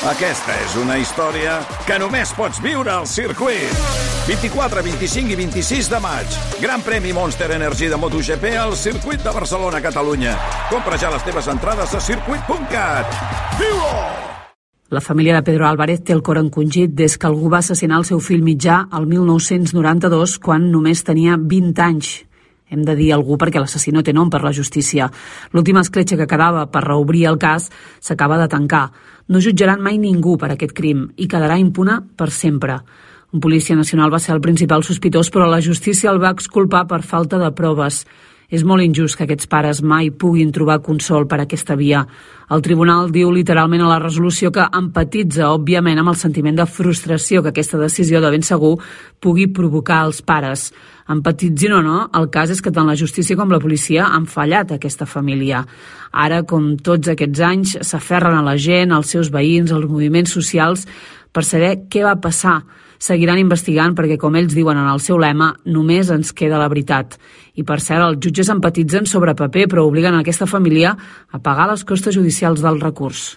Aquesta és una història que només pots viure al circuit. 24, 25 i 26 de maig. Gran premi Monster Energy de MotoGP al circuit de Barcelona, Catalunya. Compra ja les teves entrades a circuit.cat. Viu-ho! La família de Pedro Álvarez té el cor encongit des que algú va assassinar el seu fill mitjà el 1992, quan només tenia 20 anys. Hem de dir algú perquè l'assassí no té nom per la justícia. L'última escletxa que quedava per reobrir el cas s'acaba de tancar. No jutjaran mai ningú per aquest crim i quedarà impune per sempre. Un policia nacional va ser el principal sospitós, però la justícia el va exculpar per falta de proves. És molt injust que aquests pares mai puguin trobar consol per aquesta via. El tribunal diu literalment a la resolució que empatitza, òbviament, amb el sentiment de frustració que aquesta decisió de ben segur pugui provocar als pares. Empatitzin o no, el cas és que tant la justícia com la policia han fallat a aquesta família. Ara, com tots aquests anys, s'aferren a la gent, als seus veïns, als moviments socials, per saber què va passar. Seguiran investigant perquè, com ells diuen en el seu lema, només ens queda la veritat. I, per cert, els jutges empatitzen sobre paper, però obliguen a aquesta família a pagar les costes judicials del recurs.